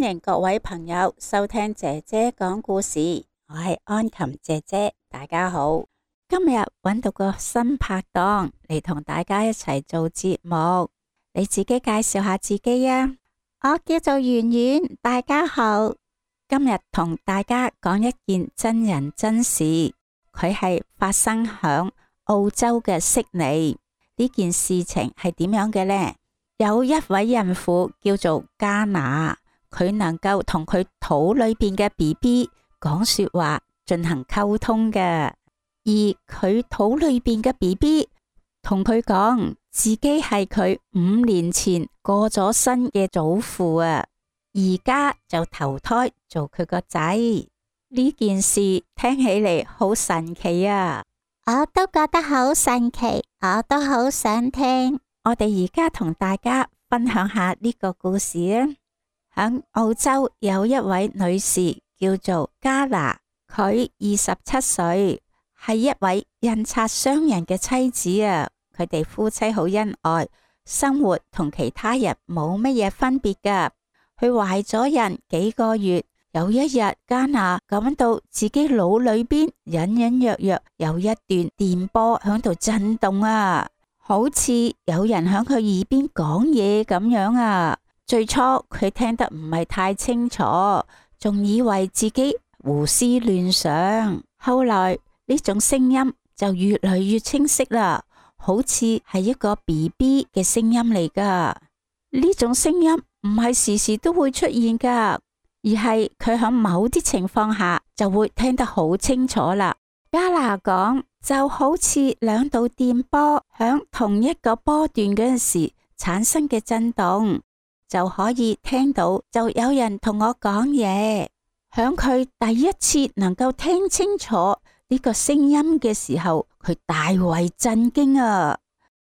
迎各位朋友收聽姐姐講故事，我係安琴姐姐，大家好。今日揾到個新拍檔嚟同大家一齊做節目，你自己介紹下自己啊。我叫做圓圓，大家好。今日同大家講一件真人真事，佢係發生響澳洲嘅悉尼。呢件事情係點樣嘅呢？有一位孕婦叫做加娜，佢能夠同佢肚裏邊嘅 BB 講說話，進行溝通嘅。而佢肚裏邊嘅 BB 同佢講，自己係佢5年前過咗身嘅祖父啊，而家就投胎做佢個仔。呢件事聽起嚟好神奇啊！我都覺得好神奇，我都好想聽。我哋而家同大家分享下呢個故事啊。喺澳洲有一位女士叫做加娜，佢27歲，係一位印刷商人嘅妻子啊。佢哋夫妻好恩愛，生活同其他人冇乜嘢分別噶。佢懷咗孕幾個月，有一日加娜感到自己腦裏邊隱隱約約有一段電波響度震動啊，好似有人響佢耳邊講嘢咁樣啊。最初佢聽得唔係太清楚，仲以為自己胡思亂想。後來呢種聲音就越嚟越清晰啦，好似係一個 BB 嘅聲音嚟噶。呢種聲音唔係時時都會出現噶，而係佢喺某啲情況下就會聽得好清楚啦。加娜講，就好似兩道電波響同一個波段嗰陣時產生嘅震動，就可以聽到就有人同我講嘢。響佢第一次能夠聽清楚呢個聲音嘅時候，佢大為震驚啊！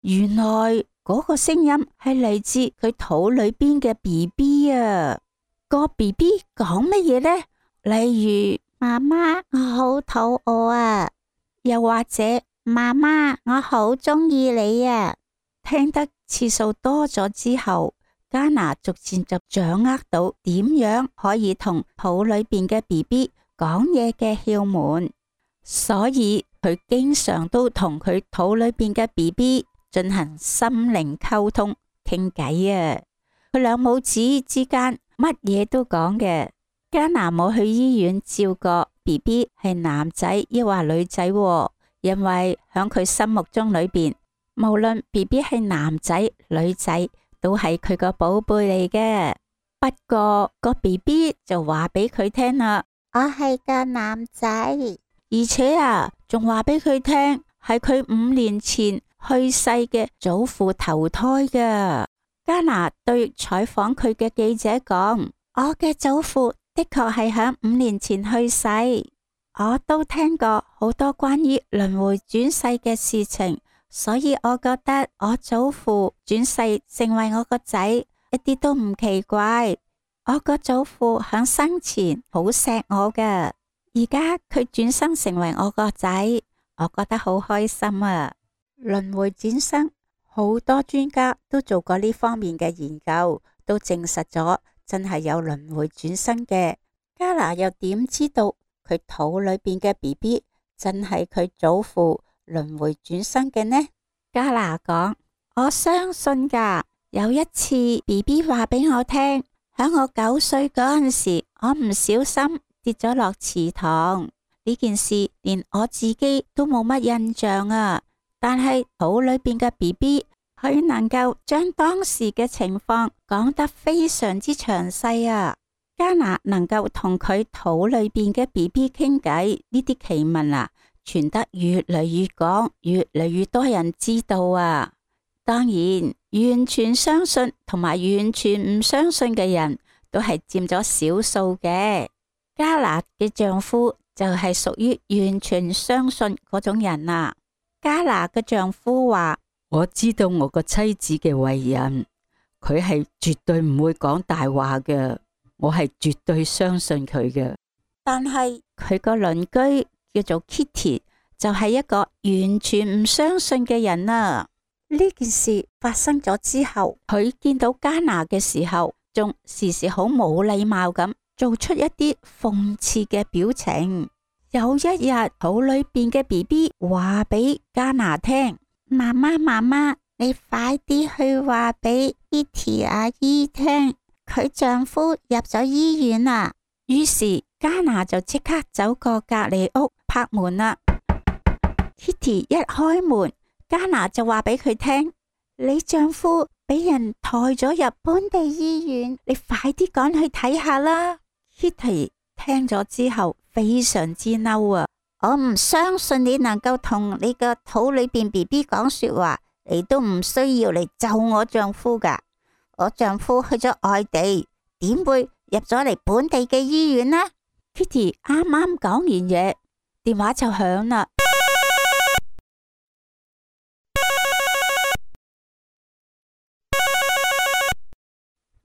原來嗰個聲音係嚟自佢肚裏邊嘅 BB 啊！個 BB 講乜嘢呢？例如，媽媽，我好肚餓啊！又或者，媽媽，我好鍾意你啊！聽得次數多咗之後，加娜逐漸就掌握到點樣可以同肚裏邊嘅 BB 講嘢嘅竅門，所以佢經常都同佢肚裏邊嘅 BB 進行心靈溝通傾偈啊！佢兩母子之間乜嘢都講嘅。加娜冇去醫院照過 BB 係男仔抑或女仔，因為響佢心目中裏邊，無論 BB 係男仔女仔，都係佢個寶貝嚟嘅。不過個 BB 就話俾佢聽啦，我係個男仔，而且啊，仲話俾佢聽係佢5年前去世嘅祖父投胎㗎。加娜對採訪佢嘅記者講，我嘅祖父的確係響5年前去世，我都聽過好多關於輪迴轉世嘅事情，所以我覺得我祖父轉世成為我個仔一啲都唔奇怪。我個祖父響生前好錫我㗎，而家佢轉生成為我個仔，我覺得好開心啊！輪迴轉生，好多專家都做過呢方面嘅研究，都證實咗真係有輪迴轉生嘅。加娜又點知道佢肚裏邊嘅 BB 真係佢祖父輪迴轉生嘅呢？加娜講，我相信㗎。有一次 BB 話俾我聽，喺我9歲嗰陣時，我唔小心跌咗落池塘。呢件事連我自己都冇乜印象啊，但係肚裏邊嘅 BB 佢能夠將當時嘅情況講得非常之詳細啊。加娜能夠同佢肚裏邊嘅 BB 傾偈，呢啲奇聞啊，傳得越嚟越廣，越嚟越多人知道啊。當然，完全相信同埋完全唔相信嘅人都係佔咗少數嘅。加娜嘅丈夫就係屬於完全相信嗰種人啊。加娜嘅丈夫話，我知道我個妻子嘅為人，佢係絕對唔會講大話嘅。我係絕對相信佢嘅，但係佢個鄰居叫做 Kitty 就係一個完全唔相信嘅人啊。呢件事發生咗之後，佢見到加娜嘅時候，仲時時好冇禮貌咁做出一啲諷刺嘅表情。有一日，肚裏邊嘅 BB 話俾加拿聽：媽媽媽媽，你快啲去話俾 Kitty 阿姨聽，佢丈夫入咗醫院啦。於是加拿就即刻走過隔籬屋拍門啦。Kitty 一開門，加拿就話俾佢聽：你丈夫俾人抬咗入本地醫院，你快啲趕去睇下啦。Kitty 聽咗之後非常之嬲啊！我唔相信你能夠同你個肚裏邊 BB 講說話，你都唔需要嚟咒我丈夫噶。我丈夫去咗外地，點會入咗嚟本地嘅醫院呢？ Kitty 啱啱講完嘢，電話就響啦。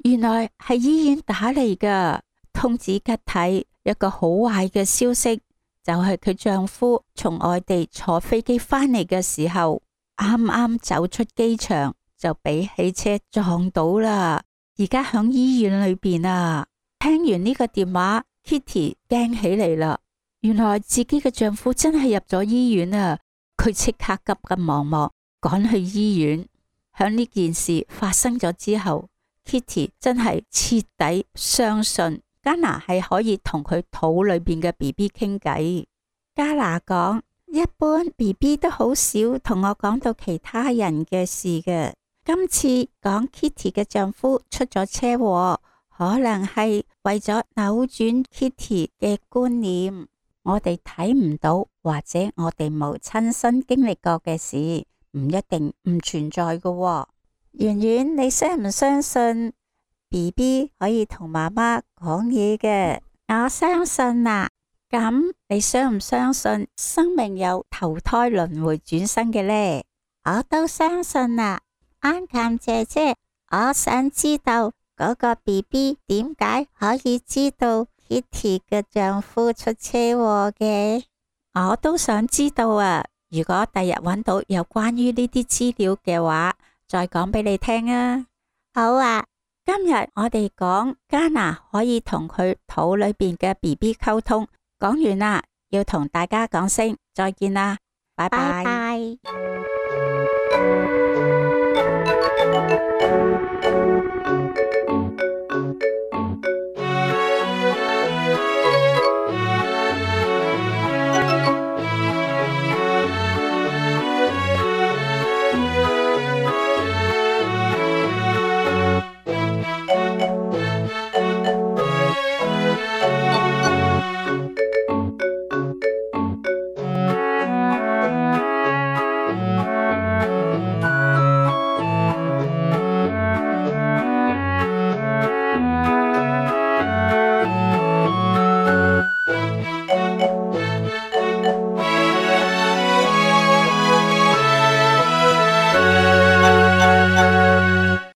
原來係醫院打嚟噶，通知吉體一個好壞嘅消息，就係佢丈夫從外地坐飛機返嚟嘅時候，啱啱走出機場就俾汽車撞到啦，而家響醫院裏邊啊。聽完呢個電話， Kitty 驚起嚟啦，原來自己嘅丈夫真係入咗醫院啊！佢即刻急急忙忙趕去醫院。響呢件事發生咗之後， Kitty 真係徹底相信加拿係可以同佢肚裏邊嘅 BB 傾偈。加拿講：一般 BB 都好少同我講到其他人嘅事嘅，今次講 Kitty 嘅丈夫出咗車禍，可能係為咗扭轉 Kitty 嘅觀念，我哋睇唔到或者我哋冇親身經歷過嘅事，唔一定唔存在嘅喎。圓圓，你相唔相信 BB 可以同媽媽講嘢嘅？我相信啊。咁你相唔相信生命有投胎輪迴轉生嘅呢？我都相信啊。安琴姐姐，我想知道嗰個 BB 點解可以知道 Kitty 嘅丈夫出車禍嘅？我都想知道啊。如果第日揾到有關於呢啲資料嘅話，再講俾你聽啊。好啊。今日我哋講加拿可以同佢肚裏邊嘅 BB 溝通，講完啦，要同大家講聲再見啦，拜拜。拜拜。